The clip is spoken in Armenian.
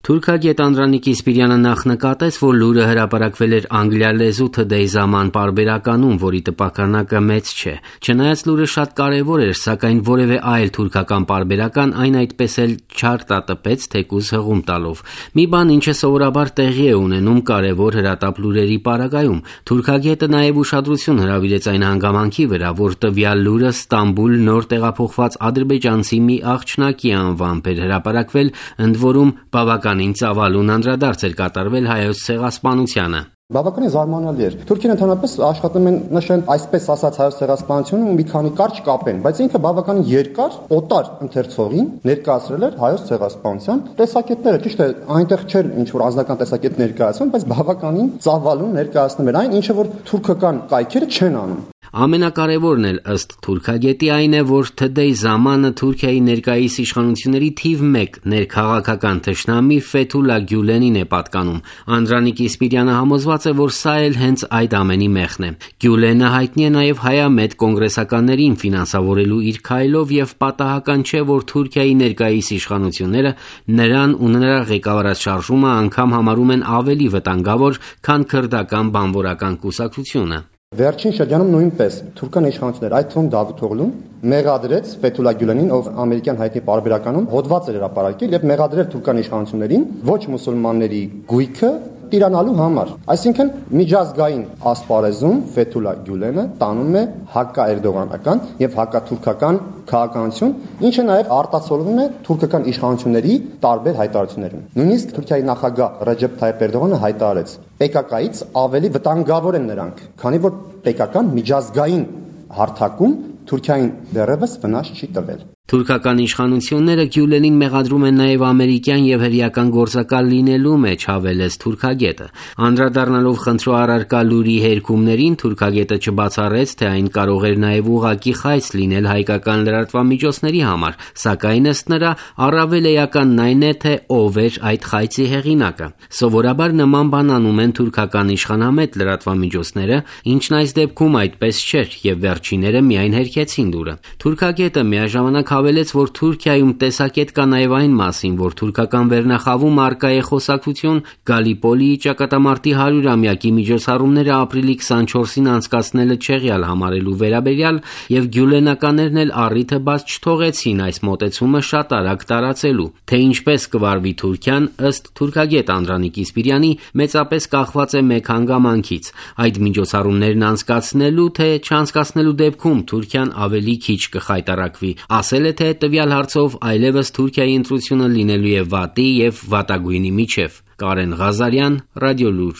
Թուրքագետ Անդրանիկ Իսպիրյանը նախ նկատեց, որ լուրը հրապարակվել էր անգլիալեզու Today Zaman պարբերականում, որի տպաքանակը մեծ չէ։ Չնայած լուրը շատ կարևոր էր, սակայն որևէ այլ թուրքական պարբերական այն այդպես էլ չարտատպեց, թեկուզ հղում տալով։ Մի բան, ինչը սովորաբար տեղի է ունենում կարևոր հրատապ լուրերի պարագայում։ Թուրքագետը նաև ուշադրություն հրավիրեց այն հանգամանքի վրա, որ տվյալ լուրը Ստամբուլ նոր տեղափոխված ադրբեջանցի մի աղջնակի անվամբ էր հրապարակվել, ընդ որում բավականին ծավալուն անդրադարձ էր կատարվել հայոց ցեղասպանությանը։ Բավականին զարմանալի էր։ Թուրքին ընդհանրապես աշխատում են նշեն այսպես ասած հայոց ցեղասպանությունը մի քանի կարճ կապեն, բայց ինքը բավականին երկար օտար ընթերցողին ներկայացրել էր հայոց ցեղասպանության տեսակետները։ Ճիշտ է, այնտեղ չէր ինչ որ անձնական տեսակետ ներկայացվում, բայց բավականին ծավալուն ներկայացնում էր այն, ինչը որ թուրքական կայքերը չեն անում։ Ամենակարևորն էլ ըստ թուրքագետի այն է, որ Today Zaman-ը Թուրքիայի ներկայիս իշխանությունների թիվ 1 ներքաղաքական թշնամի Ֆեթուլա Գյուլենին է պատկանում։ Անդրանիկ Իսպիրյանը համոզված է, որ սա էլ հենց այդ ամենի մեխն է։ Գյուլենը հայտնի է նաև հայամետ կոնգրեսականներին ֆինանսավորելու իր քայլով եւ պատահական չէ, որ Թուրքիայի ներկայիս իշխանությունները նրան ու նրա ղեկավարած շարժումը անգամ համարում են ավելի վտանգավոր, քան քրդական բանվորական կուսակցությունը։ Վերջին շրջանում նույնպես թուրքական իշխանությունները, այդ թվում Դավիթ Օղլուն, մեղադրեց Ֆեթուլա Գյուլենին, ով ամերիկյան հայտնի պարբերականում հոդված էր հրապարակել եւ մեղադրել թուրքական իշխանություններին ոչ մուսուլմանների գույքը տիրանալու համար։ Այսինքն միջազգային ասպարեզում Ֆեթուլա Գյուլենը տանում է հակաերդողանական եւ հակաթուրքական քաղաքականություն, ինչը նաեւ արտացոլվում է թուրքական իշխանությունների տարբեր հայտարարություններում։ Նույնիսկ Թուրքիայի նախագահ Ռեջեփ Թայիփ Էրդողանը հայտարարեց. «PKK-ից ավելի վտանգավոր են նրանք, քանի որ PKK-ն միջազգային հարթակում Թուրքիային դեռևս վնաս չի տվել»։ Թուրքական իշխանությունները Գյուլենին մեղադրում են նաև ամերիկյան եւ հրեական գործակալ լինելու մեջ, հավելեց թուրքագետը։ Անդրադառնալով խնդրո առարկա լուրի հերքումներին, թուրքագետը չբացառեց, թե այն կարող էր նաև ուղղակի խայծ լինել հայկական լրատվամիջոցների համար, սակայն ըստ նրա առավել էականն այն է, թե ով էր այդ խայծի հեղինակը։ Սովորաբար նման բան անում են թուրքական իշխանամետ լրատվամիջոցները, ինչն այս դեպքում այդպես չէր եւ վերջինները միայն հերքեցին լուրը։ Թուրքագետը միաժամանակ հավելեց, որ Թուրքիայում տեսակետ կա նաև այն մասին, որ թուրքական վերնախավում արկա է խոսակցություն Գալիպոլիի ճակատամարտի 100-ամյակի միջոցառումները ապրիլի 24-ին անցկացնելը չեղյալ համարելու վերաբերյալ եւ գյուլենականներն էլ առիթը բաց չթողեցին այս մոտեցումը շատ արագ տարածելու։ Թե ինչպես կվարվի Թուրքիան, ըստ թուրքագետ Անդրանիկ Իսպիրյանի, մեծապես կախված է մեկ հանգամանքից՝ այդ միջոցառումներն անցկացնելու թե չանցկացնելու դեպքում Թուրքիան ավելի քիչ կխայտարակվի։ Ասել է, թե տվյալ հարցով այլևս Թուրքիայի ընտրությունը լինելու է վատի եւ վատագույնի միջև։ Կարեն Ղազարյան, Ռադիոլուր։